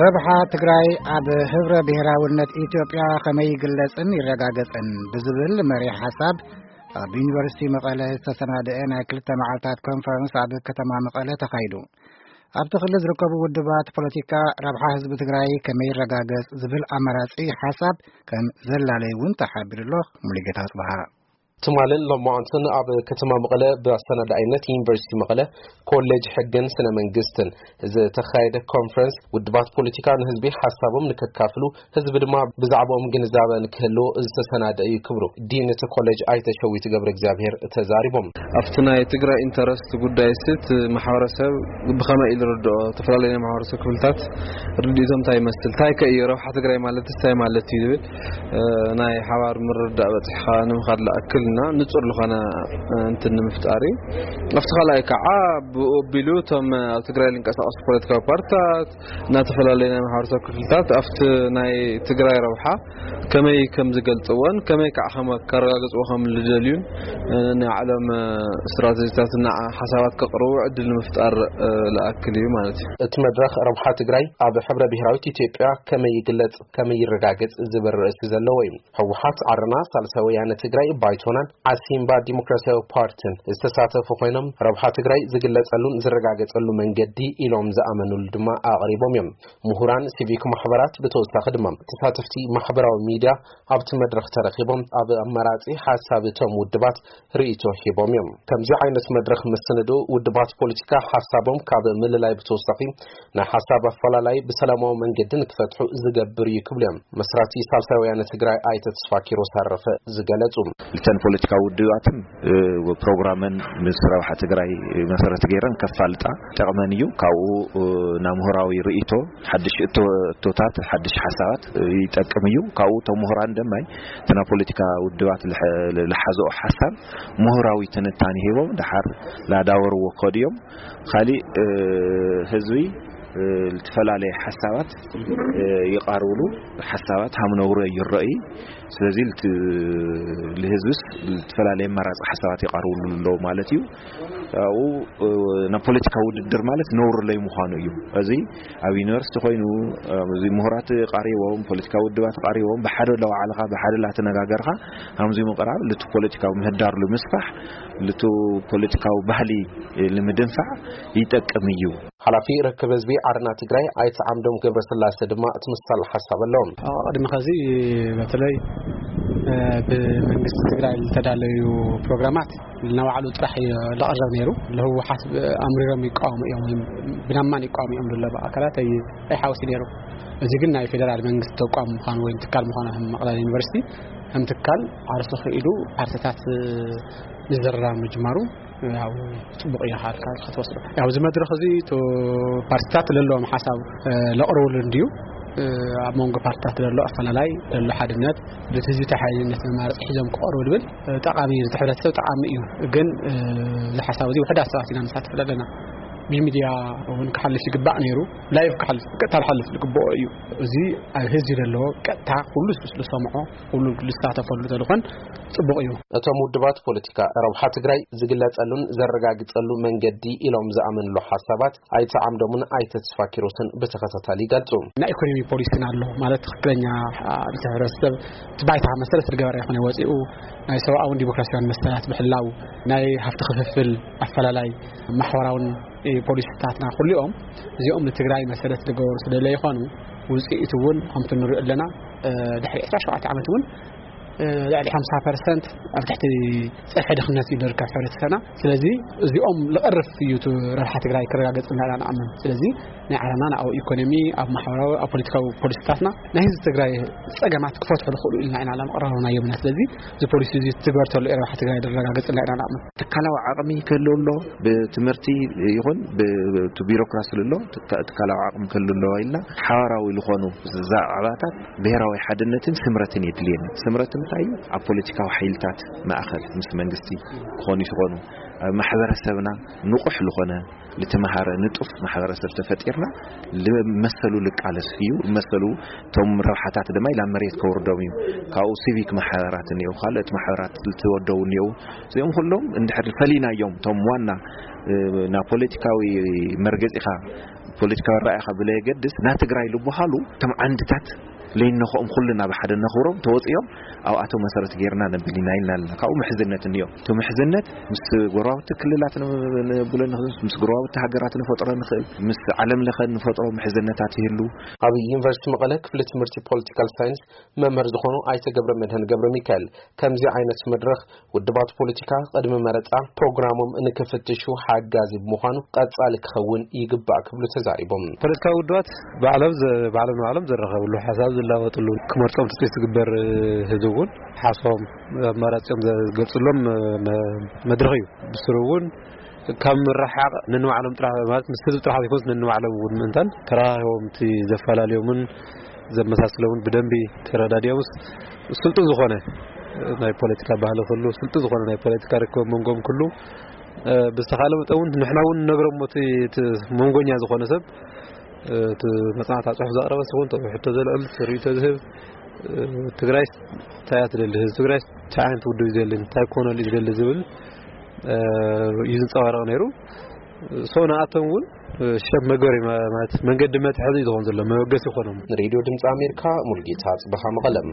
ረብሓ ትግራይ ኣብ ህብረ ብሔራውነት ኢትዮጵያ ከመይ ይግለጽን ይረጋገጽን ብዝብል መሪሕ ሓሳብ ኣብ ዩኒቨርሲቲ መቐለ ዝተሰናደአ ናይ ክልተ መዓልታት ኮንፈረንስ ኣብ ከተማ መቐለ ተኻይዱ። ኣብቲ ክልል ዝርከቡ ውድባት ፖለቲካ ረብሓ ህዝቢ ትግራይ ከመይ ይረጋገጽ ዝብል ኣማራጺ ሓሳብ ከም ዘላለይ እውን ተሓቢሩ ኣሎ። ሙሉጌታ ኣጽብሃ። ትማልን ሎማዓንትን ኣብ ከተማ መቐለ ብኣሰናዳኢነት ዩኒቨርሲቲ መቐለ ኮሌጅ ሕግን ስነ መንግስትን ዝተኻየደ ኮንፈረንስ ውድባት ፖለቲካ ንህዝቢ ሓሳቦም ንከካፍሉ፣ ህዝቢ ድማ ብዛዕባኦም ግንዛበ ንክህልዎ ዝተሰናደ እዩ ክብሉ ዲን እቲ ኮሌጅ ኣይተ ሸዊት ገብረ እግዚኣብሔር ተዛሪቦም። ኣብቲ ናይ ትግራይ ኢንተረስት ጉዳይ ስት ማሕበረሰብ ብኸመይ ኢሉ ርድኦ፣ ዝተፈላለዩ ናይ ማሕበረሰብ ክፍልታት ርድኢቶም እንታይ ይመስል፣ እንታይ ከ እዩ ረብሓ ትግራይ ማለት እንታይ ማለት እዩ ዝብል፣ እ፣ ናይ ሓባር ምርዳእ በፂሕኻ ንምኻድ ዝኣክል እና ንፁር ዝኾነ፣ እ፣ እንትን ንምፍጣር እዩ። ኣብቲ ካልኣይ ከዓ ብኡ ኣቢሉ እቶም ኣብ ትግራይ ዝንቀሳቐሱ ፖለቲካዊ ፓርትታት እና ዝተፈላለዩ ናይ ማሕበረሰብ ክፍልታት ኣብቲ ናይ ትግራይ ረብሓ ከመይ ከም ዝገልፅዎን ከመይ ከዓ ከም ከረጋግፅዎ ከም ዝደልዩን፣ እ፣ ናይ ዓለም፣ እ፣ ስትራቴጂታት እና ሓሳባት ከቕርቡ ዕድል ንምፍጣር፣ እ፣ ዝኣክል እዩ ማለት እዩ። እቲ መድረኽ ረብሓ ትግራይ ኣብ ሕብረ ብሔራዊት ኢትዮጵያ ከመይ ይግለጽ፣ ከመይ ይረጋገጽ ዝብል ርእሲ ዘለዎ እዩ። ህወሓት፣ ዓረና፣ ሳልሳይ ወያነ ትግራይ፣ ባይቶናን ዓሲምባ ዲሞክራሲያዊ ፓርቲን ዝተሳተፉ ኮይኖም፣ ረብሓ ትግራይ ዝግለጸሉን ዝረጋገጸሉ መንገዲ ኢሎም ዝኣመኑሉ ድማ ኣቕሪቦም እዮም። ምሁራን፣ ሲቪክ ማሕበራት፣ ብተወሳኺ ድማ ተሳተፍቲ ማሕበራዊ ሚድያ ኣብቲ መድረኽ ተረኺቦም ኣብ ኣመራጺ ሓሳብ እቶም ውድባት ርእይቶ ሂቦም እዮም። ከምዚ ዓይነት መድረኽ ምስንዱ ውድባት ፖለቲካ ሓሳቦም ካብ ምልላይ ብተወሳኺ ናይ ሓሳብ ኣፈላላይ ብሰላማዊ መንገዲ ንክፈትሑ ዝገብር እዩ ክብሉ እዮም መስራቲ ሳልሳይ ወያነ ትግራይ ኣይተ ተስፋ ኪሮስ ኣረፈ ዝገለጹ። እተን ፖለቲካዊ ውድባትን፣ እ፣ ፕሮግራመን ምስ ረብሓ ትግራይ መሰረት ገይረን ከፋልጣ ጠቕመን እዩ። ካብኡ፣ እ፣ ናብ ምሁራዊ ርእይቶ ሓድሽ እቶ-፣ እቶታት፣ ሓድሽ ሓሳባት ይጠቅም እዩ። ካብኡ እቶም ምሁራን ደማይ እቲ ናይ ፖለቲካ ውድባት ልሐ-፣ ልሓዝኦ ሓሳብ ምሁራዊ ትንታኔ ሂቦም ድሓር ላዳወርዎ ከድዮም። ካሊእ፣ እ፣ ህዝቢ፣ እ፣ ዝተፈላለየ ሓሳባት፣ እ፣ ይቐርብሉ፣ ሓሳባት ሃም ነውረ ይረኣዩ። ስለዚ ልት-፣ ልህዝብስ ዝተፈላለየ ኣማራፂ ሓሳባት ይቐርብሉ ኣለዉ ማለት እዩ። ኣብኡ፣ እ፣ ናብ ፖለቲካዊ ውድድር ማለት ነውሪ ለይ ምዃኑ እዩ። እዚ ኣብ ዩኒቨርሲቲ ኮይኑ፣ እ፣ እዚ ምሁራት ቀሪቦም፣ ፖለቲካዊ ውድባት ቀሪቦም፣ ብሓደ ለዋዕልኻ፣ ብሓደ ላተነጋገርካ፣ ሃምዚ ምቕራብ ልቱ ፖለቲካዊ ምህዳር ልምስፋሕ፣ ልቱ ፖለቲካዊ ባህሊ ልምድንፋዕ ይጠቅም እዩ። ሓላፊ ርክብ ህዝቢ ዓረና ትግራይ ኣይተ ዓምዶም ገብረስላሴ ድማ እቲ ምሳል ሓሳብ ኣለዎም። ኣብ ቅድሚ ኸዚ በተለይ፣ እ፣ ብመንግስቲ ትግራይ ዝተዳለዩ ፕሮግራማት ንባዕሉ ጥራሕ እዩ ዝቐርብ ነይሩ። ለህወሓት ኣምሪሮም ይቃወሙ እዮም፣ ወይም ብናማን ይቃወሙ እዮም ዝብሉ ኣካላት ኣይ-፣ ኣይሓወሲ ነይሩ። እዚ ግን ናይ ፌደራል መንግስቲ ተቋም ምዃኑ ወይም ትካል ምዃኑ ከም መቐለ ዩኒቨርሲቲ ከም ትካል ዓርሱ ክኢሉ ፓርቲታት፣ እ፣ ምዝርራብ ምጅማሩ ያው ጽቡቕ እዩ፣ ሃልካ ክትወስዶ። ያው እዚ መድረኽ እዚ እቶ ፓርቲታት ለለዎም ሓሳብ፣ እ፣ ለቕርብሉ እንድዩ። እ፣ ኣብ መንጎ ፓርቲታት ለሎ ኣፈላላይ፣ ለሎ ሓድነት፣ በቲ ህዝቢ ተሓያይነት መማረፂ ሒዞም ክቐርቡ ዝብል፣ እ፣ ጠቓሚ እዩ፣ ነቲ ሕብረተሰብ ጠቓሚ እዩ። ግን፣ እ፣ እዚ ሓሳብ እዚ ውሕዳት ሰባት ኢና ንሳተፍ ዘለና። ብሚድያ እውን ክሓልፍ ይግባእ ነይሩ። ላይቭ ክሓልፍ፣ ብቀጥታ ክሓልፍ ዝግብኦ እዩ። እዚ ኣብ ህዝቢ ዘለዎ ቀጥታ ኩሉ ዝሰምዖ፣ ኩሉ ዝሳተፈሉ ተልኾን ጽቡቕ እዩ። እቶም ውድባት ፖለቲካ ረብሓ ትግራይ ዝግለጸሉን ዘረጋግጸሉ መንገዲ ኢሎም ዝኣመንሉ ሓሳባት ኣይተ ዓምዶምን ኣይተ ተስፋ ኪሮስን ብተኸታታሊ ይገልጹ። ናይ ኢኮኖሚ ፖሊሲን ኣሎ ማለት ትኽክለኛ፣ አ፣ ንሕብረተሰብ እቲ ባይታ መሰረት ዝገበረ ይኾነ ወፂኡ ናይ ሰብኣውን ዲሞክራሲያውን መሰላት ምሕላው፣ ናይ ሃፍቲ ክፍፍል ኣፈላላይ፣ ማሕበራውን፣ እ፣ ፖሊሲታትና ኩሊኦም እዚኦም ንትግራይ መሰረት ዝገበሩ ስለ ዘይኾኑ ውፅኢት እውን ከምቲ ንሪኦ ኣለና፣ እ፣ ድሕሪ ዕስራ ሸውዓተ ዓመት እውን፣ እ፣ ልዕሊ ሓምሳ ፐርሰንት ኣብ ትሕቲ ፀፍሒ ድኽነት እዩ ዝርከብ ሕብረተሰብና። ስለዚ እዚኦም ልቐርፍ እዩ እቲ ረብሓ ትግራይ ክረጋገጽ ኢና ኢና ንኣምን። ስለዚ ናይ ዓለምና ኣብ ኢኮኖሚ፣ ኣብ ማሕበራዊ፣ ኣብ ፖለቲካዊ ፖሊሲታትና ናይ ህዝቢ ትግራይ ጸገማት ክፈትሑ ዝኽእሉ ኢልና ኢና ለመቕረብናዮም ኢና። ስለዚ እዚ ፖሊሲ እዚ ትግበር ተሎ ረብሓ ትግራይ ዝረጋገጽ ኢና ኢና ንኣምን። ትካላዊ ዓቕሚ ክህልው ኣሎ፣ ብትምህርቲ ይኹን ብ-፣ ብቲ ቢሮክራሲ ኣሎ፣ ትካ-፣ ትካላዊ ዓቕሚ ክህልው ኣለዎ ኢልና ሓባራዊ ዝኾኑ ዛዕባታት ብሄራዊ ሓድነትን ስምረትን የድልየና። ስምረትን እንታይ ኣብ ፖለቲካዊ ሓይልታት ማእኸል ምስ መንግስቲ ክኾኑ ይትኾኑ ኣብ ማሕበረሰብና ንቑሕ ዝኾነ ልተመሃረ ንጡፍ ማሕበረሰብ ተፈጢርና ልመሰሉ ልቃለስ እዩ። መሰሉ እቶም ረብሓታት ድማ ኢላ መሬት ከውርዶም እዩ። ካብኡ ሲቪክ ማሕበራት እኒው፣ ካልኦት ማሕበራት ልትወደው እኒው። እዚኦም ኩሎም እንድሕር ፈሊናዮም እቶም ዋና ናብ ፖለቲካዊ መርገፂኻ ፖለቲካዊ ራእይኻ ብለየገድስ ና ትግራይ ልበሃሉ እቶም ዓንድታት ለይነኽኦም ኩልና ብሓደ ነኽብሮም ተወፂኦም ኣብኣቶም መሰረት ጌርና ነብል ኢና ኢልና ኣለና። ካብኡ ምሕዝነት እኒኦ። እቲ ምሕዝነት ምስ ጎረባብቲ ክልላት ንብሎ ንኽእል፣ ምስ ጎረባብቲ ሃገራት ንፈጥሮ ንኽእል፣ ምስ ዓለም ለኸ ንፈጥሮ ምሕዝነታት ይህሉ። ኣብ ዩኒቨርሲቲ መቐለ ክፍሊ ትምህርቲ ፖለቲካል ሳይንስ መምህር ዝኾኑ ኣይተ ገብረ መድህን ገብረ ሚካኤል ከምዚ ዓይነት መድረኽ ውድባት ፖለቲካ ቅድሚ መረፃ ፕሮግራሞም ንክፍትሹ ሓጋዚ ብምዃኑ ቀፃሊ ክኸውን ይግባእ ክብሉ ተዛሪቦም። ፖለቲካዊ ውድባት ባዕሎም ዘ- ባዕሎም ንባዕሎም ዘራኸብሉ ሓሳብ ዝላወጥሉ ክመርፆም ትፅቢት ዝግበር ህዝቢ እውን ሓሳቦም ኣማራፂኦም ዝገልፅሎም መ- መድረኽ እዩ። ብስሩ እውን ካብ ምርሓቕ ነንባዕሎም ጥራሕ ማለት ምስ ህዝቢ ጥራሕ ዘይኮንስ ነንባዕሎም እውን ምእንታን ተራራኺቦም እቲ ዘፈላለዮምን ዘመሳስለውን ብደንቢ ተረዳዲኦምስ ስልጡን ዝኾነ ናይ ፖለቲካ ባህሊ ክሉ ስልጡን ዝኾነ ናይ ፖለቲካ ርክብ መንጎም ክሉ ብዝተኻለ መጠን እውን ንሕና እውን ንነግሮም እቲ መንጎኛ ዝኾነ ሰብ እቲ መፅናዕታ ፅሑፍ ዘቕረበ ሲሆን ቶ ሕቶ ዘልዕል ርእቶ ዝህብ ትግራይ እንታይ እያ ትደሊ፣ ህዝቢ ትግራይ እንታይ ዓይነት ውድብ እዩ ዘሊ፣ እንታይ ኮነሉ እዩ ዝደሊ ዝብል እዩ ዝንፀባረቕ ነይሩ። ሶ ንኣቶም እውን ሸብ መገሪ ማለት መንገዲ መትሐዚ እዩ ዝኾን ዘሎ መበገሲ ይኾኖም። ንሬድዮ ድምፂ ኣሜሪካ ሙልጌታ ጽበኻ መቐለም።